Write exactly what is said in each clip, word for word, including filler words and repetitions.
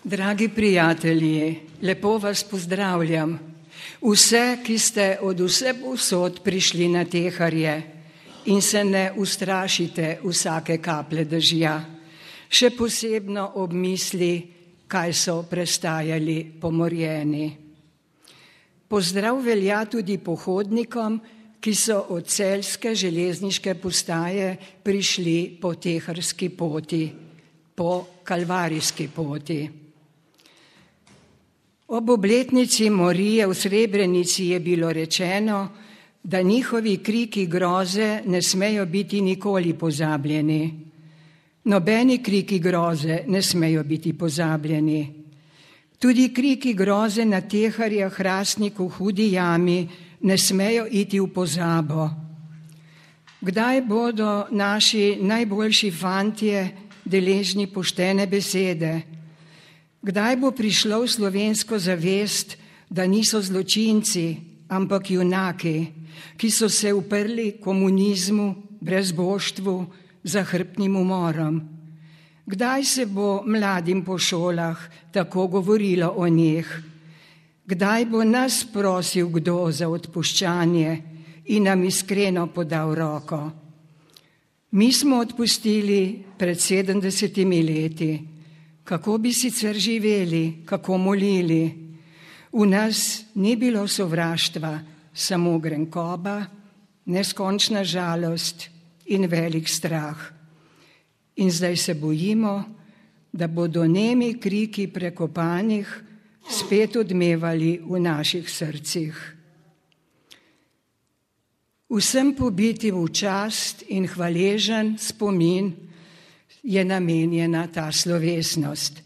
Dragi prijatelji, lepo vas pozdravljam. Vse, ki ste od vse povsod prišli na Teharje in se ne ustrašite vsake kaplje dežja, še posebno ob misli, kaj so prestajali pomorjeni. Pozdrav velja tudi pohodnikom, ki so od celjske železniške postaje prišli po teharski poti, po kalvarijski poti. Ob obletnici morije v Srebrenici je bilo rečeno, da njihovi kriki groze ne smejo biti nikoli pozabljeni. Nobeni kriki groze ne smejo biti pozabljeni. Tudi kriki groze na Teharjah, Hrastniku, Hudi jami ne smejo iti v pozabo. Kdaj bodo naši najboljši fantje deležni poštene besede? Kdaj bo prišlo v slovensko zavest, da niso zločinci, ampak junaki, ki so se uprli komunizmu, brezboštvu, zahrbtnim umorom? Kdaj se bo mladim po šolah tako govorilo o njih? Kdaj bo nas prosil kdo za odpuščanje in nam iskreno podal roko? Mi smo odpustili pred sedemdesetimi leti. Kako bi sicer živeli, kako molili? V nas ni bilo sovraštva, samo grenkoba, neskončna žalost in velik strah. In zdaj se bojimo, da bodo nemi kriki prekopanih spet odmevali v naših srcih. Vsem pobitim v čast in hvaležen spomin je namenjena ta slovesnost.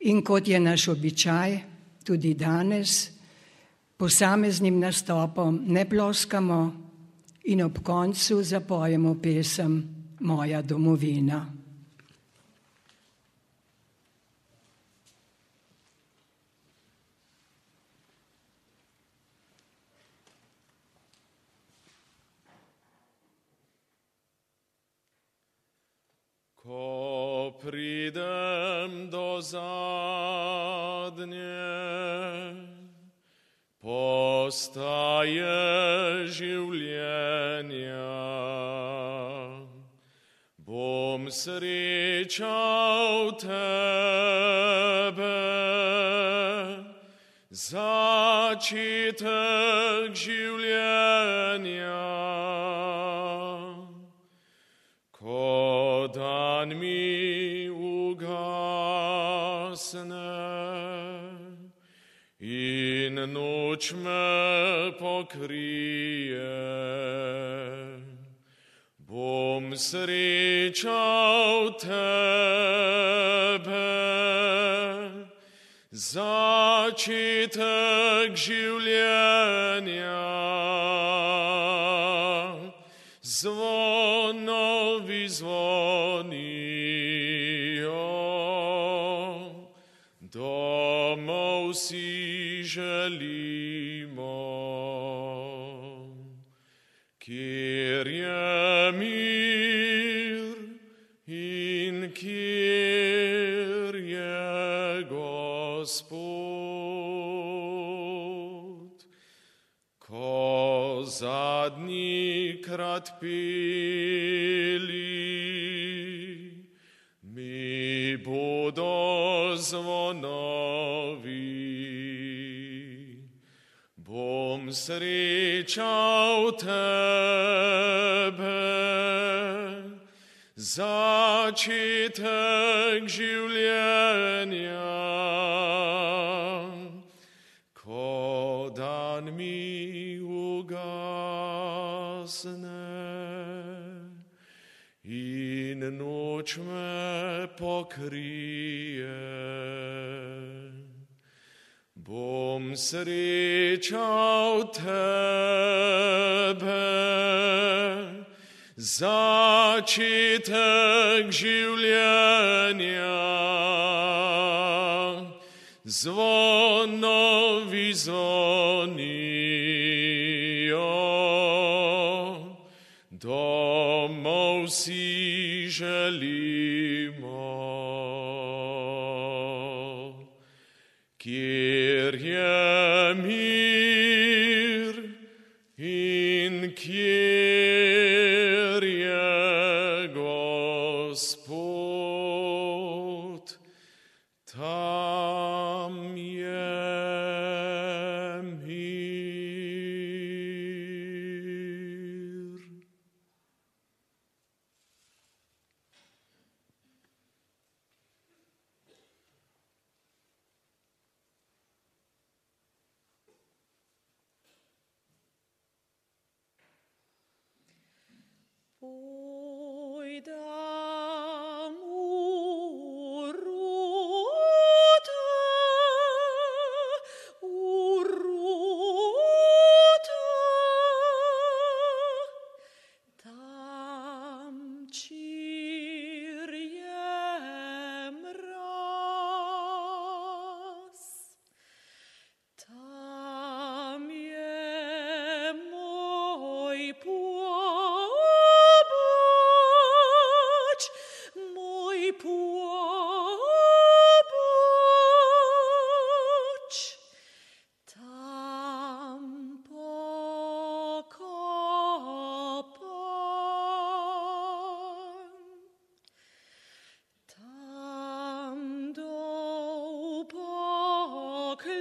In kot je naš običaj, tudi danes, posameznim nastopom ne ploskamo in ob koncu zapojemo pesem Moja domovina. Ko pridem do zadnje postaje življenja, bom srečal tebe, začetek življenja. Ko dan mi ugasne in noč me pokrije, bom srečal tebe, začetek življenja. Zvonovi zvonijo, domov si želimo, kjer je mir in kjer je Gospod. Ko zadnji krat peli, mi bodo zvonovi, bom srečal tebe, začetek življenja. Ko dan mi ugasne in noč me pokrije, bom srečal tebe, začetek življenja. Zvonovi zvonijo, domov si želimo. kjer je mir in kjer je Gospod, tam je mir. Pojdam u ruta, u ruta, tam čir je mraz, tam je moj poboč, moj poboč, tam pokopan, tam dol pokliknem,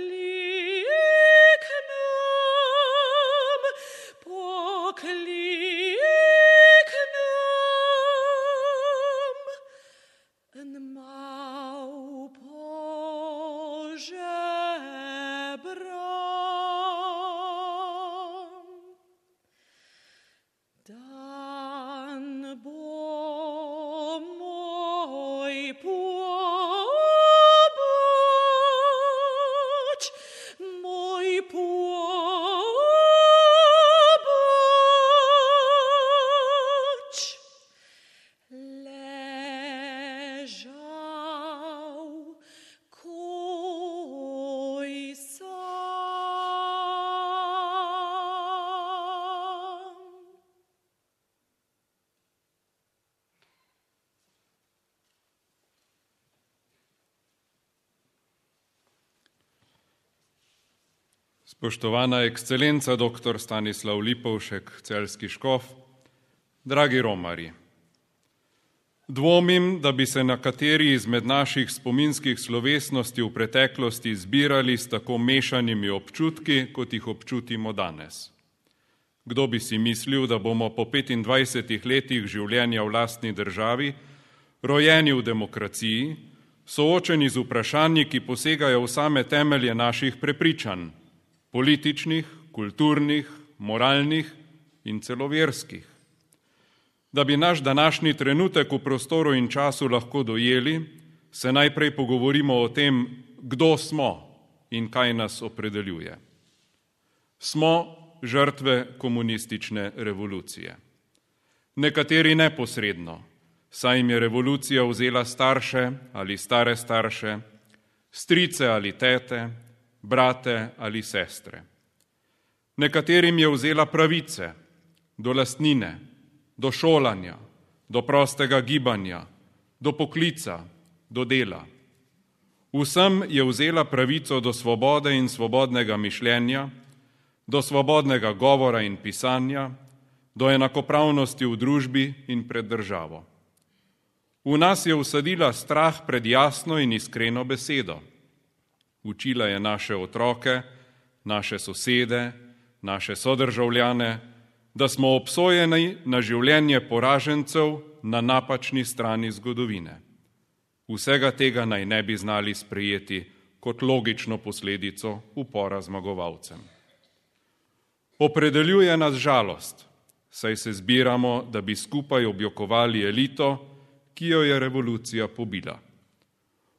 pokliknem, en mal požebram. Dan bo moj poboč, moj poboč, ležal koj sam. Spoštovana ekscelenca doktor Stanislav Lipovšek, celjski škof, dragi romarji. Dvomim, da bi se na kateri izmed naših spominskih slovesnosti v preteklosti zbirali s tako mešanimi občutki, kot jih občutimo danes. Kdo bi si mislil, da bomo po petindvajsetih letih življenja v lastni državi, rojeni v demokraciji, soočeni z vprašanji, ki posegajo v same temelje naših prepričanj, političnih, kulturnih, moralnih in celo verskih. Da bi naš današnji trenutek v prostoru in času lahko dojeli, se najprej pogovorimo o tem, kdo smo in kaj nas opredeljuje. Smo žrtve komunistične revolucije. Nekateri neposredno, saj jim je revolucija vzela starše ali stare starše, strice ali tete, brate ali sestre. Nekaterim je vzela pravice do lastnine, do šolanja, do prostega gibanja, do poklica, do dela. Vsem je vzela pravico do svobode in svobodnega mišljenja, do svobodnega govora in pisanja, do enakopravnosti v družbi in pred državo. V nas je vsadila strah pred jasno in iskreno besedo. Učila je naše otroke, naše sosede, naše sodržavljane, da smo obsojeni na življenje poražencev na napačni strani zgodovine. Vsega tega naj ne bi znali sprejeti kot logično posledico upora zmagovalcem. Opredeljuje nas žalost, saj se zbiramo, da bi skupaj objokovali elito, ki jo je revolucija pobila.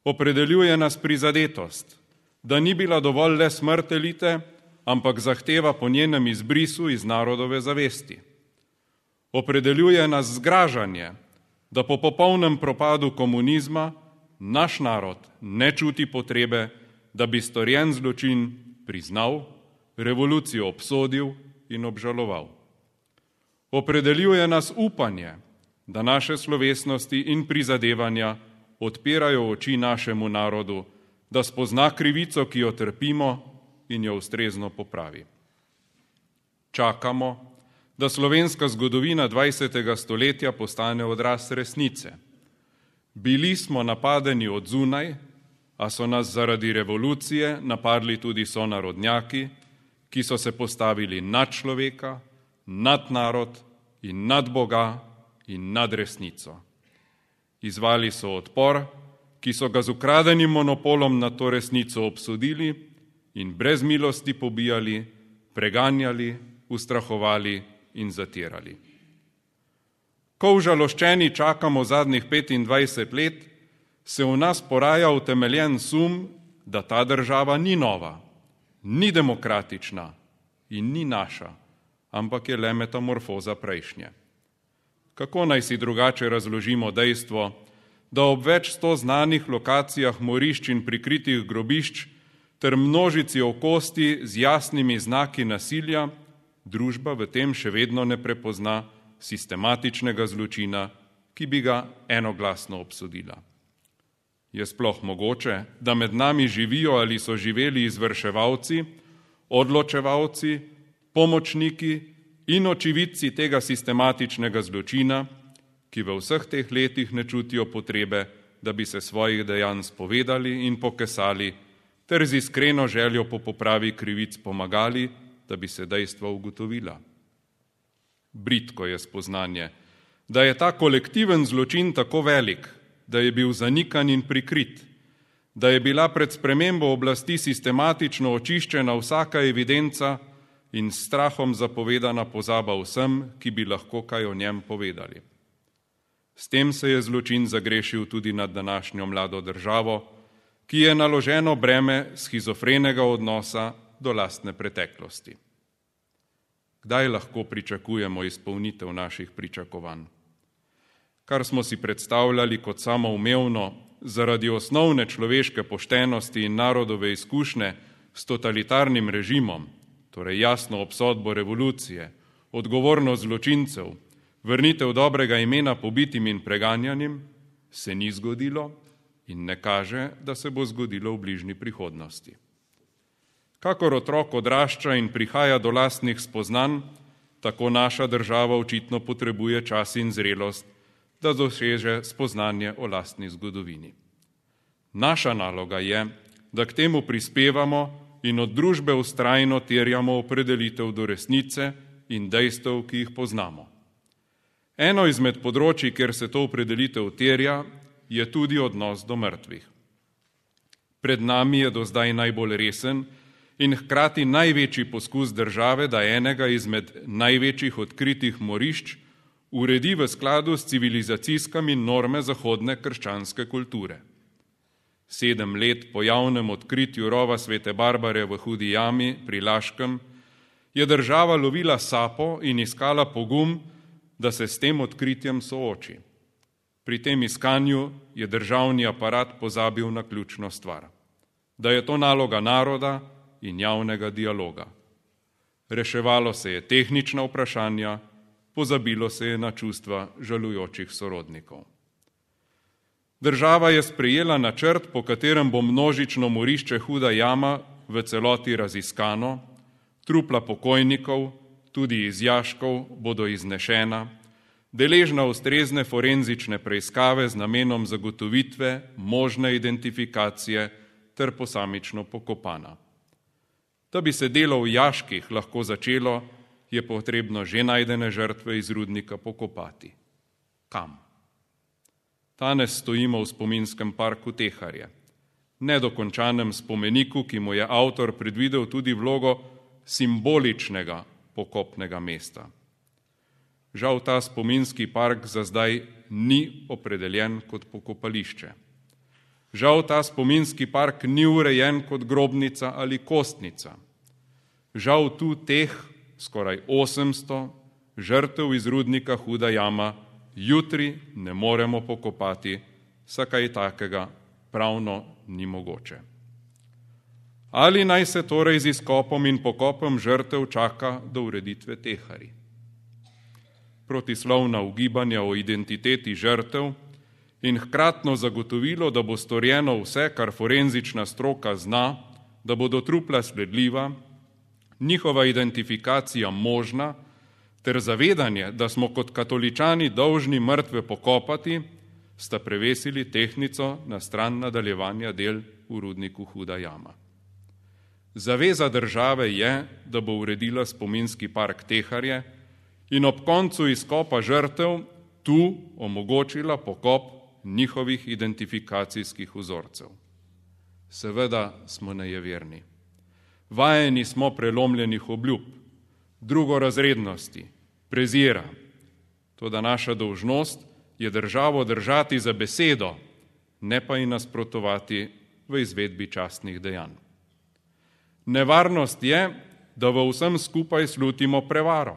Opredeljuje nas prizadetost, da ni bila dovolj le smrt elite, ampak zahteva po njenem izbrisu iz narodove zavesti. Opredeljuje nas zgražanje, da po popolnem propadu komunizma naš narod ne čuti potrebe, da bi storjen zločin priznal, revolucijo obsodil in obžaloval. Opredeljuje nas upanje, da naše slovesnosti in prizadevanja odpirajo oči našemu narodu, da spozna krivico, ki jo trpimo, in jo ustrezno popravi. Čakamo, da slovenska zgodovina dvajsetega stoletja postane odraz resnice. Bili smo napadeni od zunaj, a so nas zaradi revolucije napadli tudi sonarodnjaki, ki so se postavili nad človeka, nad narod in nad Boga in nad resnico. Izvali so odpor, ki so ga z ukradenim monopolom na to resnico obsodili in brez milosti pobijali, preganjali, ustrahovali in zatirali. Ko užaloščeni čakamo zadnjih petindvajset let, se v nas poraja utemeljen sum, da ta država ni nova, ni demokratična in ni naša, ampak je le metamorfoza prejšnje. Kako naj si drugače razložimo dejstvo, da ob več sto znanih lokacijah morišč in prikritih grobišč ter množici okosti z jasnimi znaki nasilja, družba v tem še vedno ne prepozna sistematičnega zločina, ki bi ga enoglasno obsodila. Je sploh mogoče, da med nami živijo ali so živeli izvrševalci, odločevalci, pomočniki in očividci tega sistematičnega zločina, ki v vseh teh letih ne čutijo potrebe, da bi se svojih dejanj spovedali in pokesali, ter z iskreno željo po popravi krivic pomagali, da bi se dejstva ugotovila. Bridko je spoznanje, da je ta kolektiven zločin tako velik, da je bil zanikan in prikrit, da je bila pred spremembo oblasti sistematično očiščena vsaka evidenca in s strahom zapovedana pozaba vsem, ki bi lahko kaj o njem povedali. S tem se je zločin zagrešil tudi nad današnjo mlado državo, ki je naloženo breme schizofrenega odnosa do lastne preteklosti. Kdaj lahko pričakujemo izpolnitev naših pričakovanj? Kar smo si predstavljali kot samoumevno zaradi osnovne človeške poštenosti in narodove izkušnje s totalitarnim režimom, torej jasno obsodbo revolucije, odgovornost zločincev, vrnitev dobrega imena pobitim in preganjanim, se ni zgodilo in ne kaže, da se bo zgodilo v bližnji prihodnosti. Kakor otrok odrašča in prihaja do lastnih spoznanj, tako naša država očitno potrebuje čas in zrelost, da doseže spoznanje o lastni zgodovini. Naša naloga je, da k temu prispevamo in od družbe vztrajno terjamo opredelitev do resnice in dejstev, ki jih poznamo. Eno izmed področij, kjer se to opredelitev terja, je tudi odnos do mrtvih. Pred nami je do zdaj najbolj resen in hkrati največji poskus države, da enega izmed največjih odkritih morišč uredi v skladu s civilizacijskimi norme zahodne krščanske kulture. Sedem let po javnem odkritju rova Svete Barbare v Hudi jami pri Laškem je država lovila sapo in iskala pogum, da se s tem odkritjem sooči. Pri tem iskanju je državni aparat pozabil na ključno stvar, da je to naloga naroda in javnega dialoga. Reševalo se je tehnična vprašanja, pozabilo se je na čustva žalujočih sorodnikov. Država je sprejela načrt, po katerem bo množično morišče Huda jama v celoti raziskano, trupla pokojnikov, tudi iz jaškov, bodo iznešena, deležna ustrezne forenzične preiskave z namenom zagotovitve možne identifikacije ter posamično pokopana. Da bi se delo v jaških lahko začelo, je potrebno že najdene žrtve iz rudnika pokopati. Kam? Danes stojimo v spominskem parku Teharje, nedokončanem spomeniku, ki mu je avtor predvidel tudi vlogo simboličnega pokopnega mesta. Žal ta spominski park za zdaj ni opredeljen kot pokopališče. Žal ta spominski park ni urejen kot grobnica ali kostnica. Žal tu teh skoraj osemsto žrtev iz rudnika Huda jama jutri ne moremo pokopati, saj kaj takega pravno ni mogoče. Ali naj se torej z izkopom in pokopom žrtev čaka do ureditve Teharij? Protislovna ugibanja o identiteti žrtev in hkratno zagotovilo, da bo storjeno vse, kar forenzična stroka zna, da bodo trupla sledljiva, njihova identifikacija možna, ter zavedanje, da smo kot katoličani dolžni mrtve pokopati, sta prevesili tehtnico na stran nadaljevanja del v rudniku Huda jama. Zaveza države je, da bo uredila spominski park Teharje in ob koncu izkopa žrtev tu omogočila pokop njihovih identifikacijskih vzorcev. Seveda smo nejeverni. Vajeni smo prelomljenih obljub, drugorazrednosti, prezira. Toda naša dolžnost je državo držati za besedo, ne pa ji nasprotovati v izvedbi častnih dejanj. Nevarnost je, da v vsem skupaj slutimo prevaro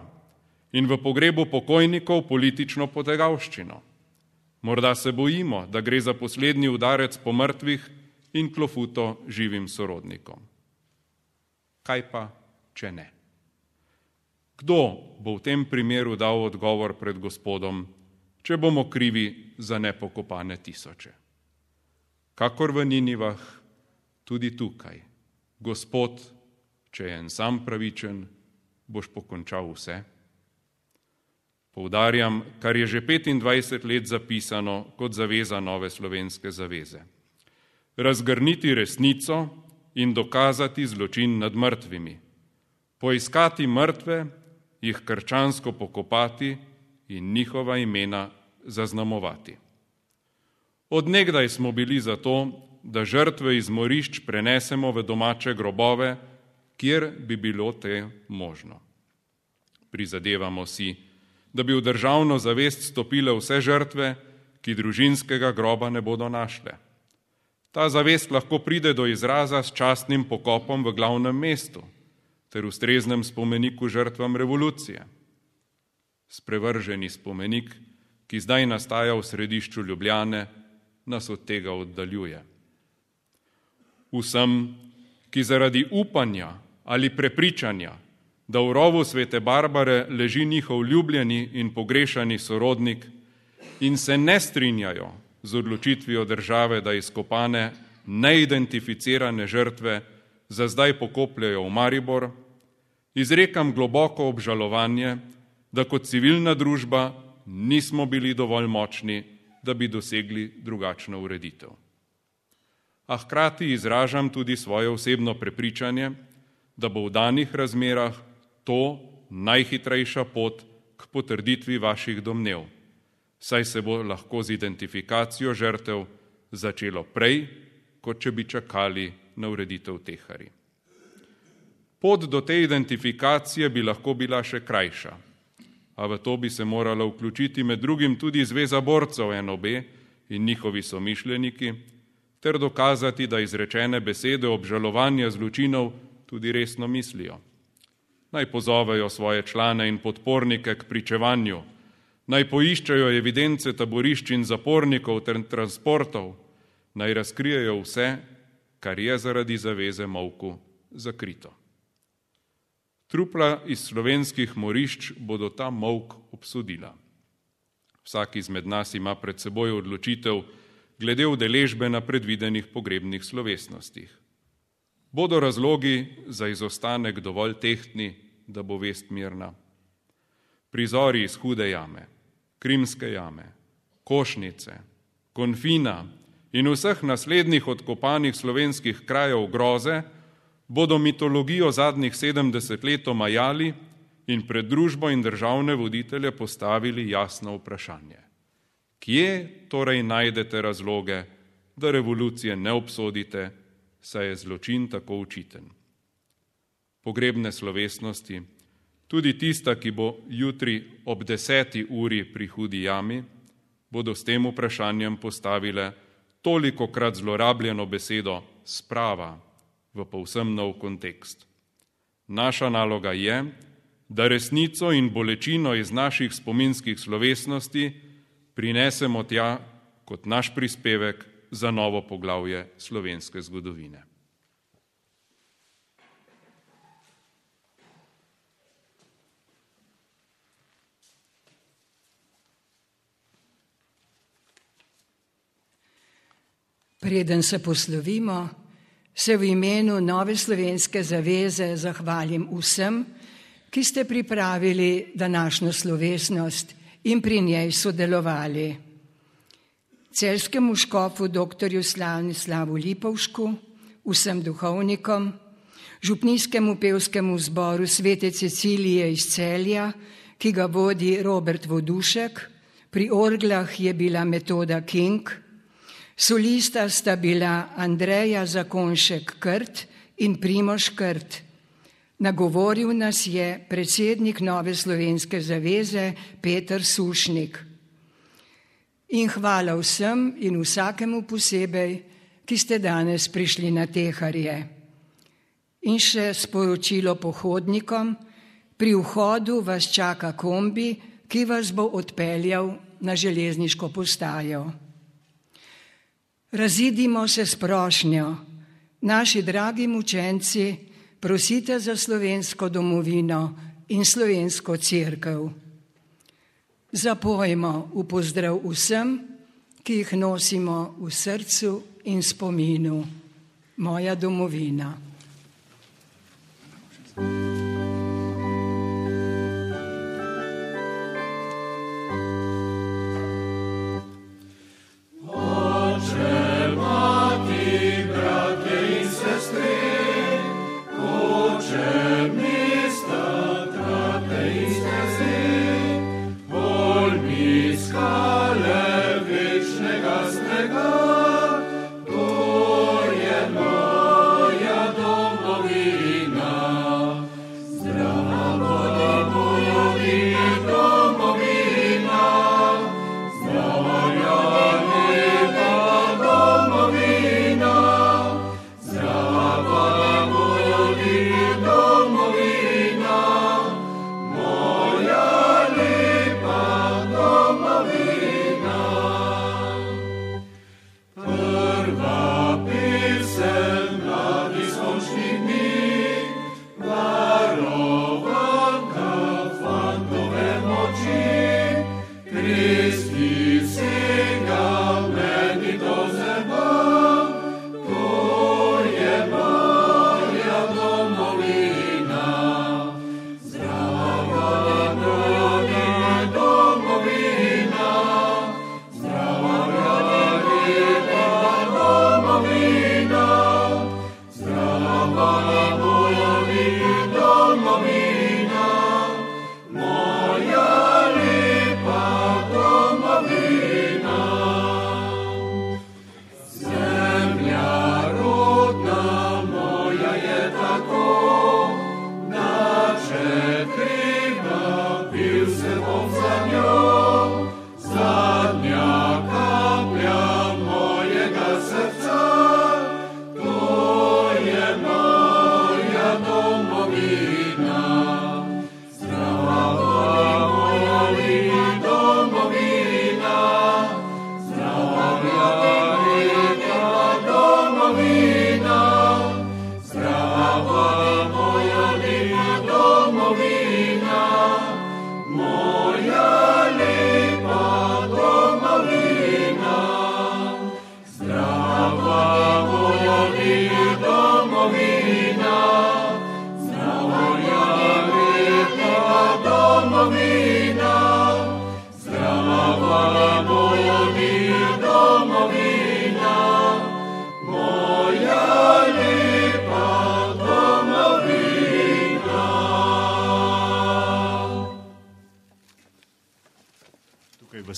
in v pogrebu pokojnikov politično potegavščino. Morda se bojimo, da gre za poslednji udarec po mrtvih in klofuto živim sorodnikom. Kaj pa, če ne? Kdo bo v tem primeru dal odgovor pred Gospodom, če bomo krivi za nepokopane tisoče? Kakor v Ninivah, tudi tukaj. Gospod, če je en sam pravičen, boš pokončal vse. Poudarjam, kar je že petindvajset let zapisano kot zaveza Nove slovenske zaveze. Razgrniti resnico in dokazati zločin nad mrtvimi. Poiskati mrtve, jih krščansko pokopati in njihova imena zaznamovati. Od nekdaj smo bili za to, da žrtve iz morišč prenesemo v domače grobove, kjer bi bilo te možno. Prizadevamo si, da bi v državno zavest stopile vse žrtve, ki družinskega groba ne bodo našle. Ta zavest lahko pride do izraza s častnim pokopom v glavnem mestu ter ustreznem spomeniku žrtvam revolucije. Sprevrženi spomenik, ki zdaj nastaja v središču Ljubljane, nas od tega oddaljuje. Vsem, ki zaradi upanja ali prepričanja, da v rovu svete Barbare leži njihov ljubljeni in pogrešani sorodnik in se ne strinjajo z odločitvijo države, da izkopane, neidentificirane žrtve za zdaj pokopljajo v Maribor, izrekam globoko obžalovanje, da kot civilna družba nismo bili dovolj močni, da bi dosegli drugačno ureditev. A hkrati izražam tudi svoje osebno prepričanje, da bo v danih razmerah to najhitrejša pot k potrditvi vaših domnev, saj se bo lahko z identifikacijo žrtev začelo prej, kot če bi čakali na ureditev Teharij. Pot do te identifikacije bi lahko bila še krajša, a v to bi se morala vključiti med drugim tudi Zveza borcev N O B in njihovi somišljeniki, ter dokazati, da izrečene besede obžalovanja zločinov tudi resno mislijo. Naj pozovejo svoje člane in podpornike k pričevanju, naj poiščejo evidence taborišč in zapornikov ter transportov, naj razkrijejo vse, kar je zaradi zaveze molku zakrito. Trupla iz slovenskih morišč bodo ta molk obsodila. Vsak izmed nas ima pred seboj odločitev glede udeležbe na predvidenih pogrebnih slovesnostih. Bodo razlogi za izostanek dovolj tehtni, da bo vest mirna? Prizori iz Hude jame, Krimske jame, Košnice, Konfina in vseh naslednjih odkopanih slovenskih krajev groze bodo mitologijo zadnjih sedemdeset let omajali in pred družbo in državne voditelje postavili jasno vprašanje. Kje torej najdete razloge, da revolucije ne obsodite, saj je zločin tako očiten? Pogrebne slovesnosti, tudi tista, ki bo jutri ob deseti uri pri Hudi jami, bodo s tem vprašanjem postavile tolikokrat zlorabljeno besedo sprava v povsem nov kontekst. Naša naloga je, da resnico in bolečino iz naših spominskih slovesnosti prinesemo tja kot naš prispevek za novo poglavje slovenske zgodovine. Preden se poslovimo, se v imenu Nove slovenske zaveze zahvalim vsem, ki ste pripravili današnjo slovesnost in pri njej sodelovali. Celjskemu škofu doktorju Slanislavu Lipovšku, vsem duhovnikom, župnijskemu pevskemu zboru Svete Cecilije iz Celja, ki ga vodi Robert Vodušek, pri orglah je bila Metoda King, solista sta bila Andreja Zakonšek-Krt in Primož Krt. Nagovoril nas je predsednik Nove slovenske zaveze Peter Sušnik. In hvala vsem in vsakemu posebej, ki ste danes prišli na teharje. In še sporočilo pohodnikom, pri vhodu vas čaka kombi, ki vas bo odpeljal na železniško postajo. Razidimo se s prošnjo. Naši dragi mučenci, prosite za slovensko domovino in slovensko cerkev. Zapojmo v pozdrav vsem, ki jih nosimo v srcu in spominu. Moja domovina.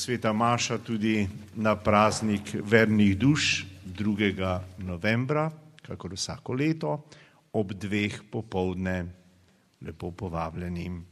Sveta maša tudi na praznik vernih duš drugega novembra, kakor vsako leto, ob dveh popoldne. Lepo povabljeni.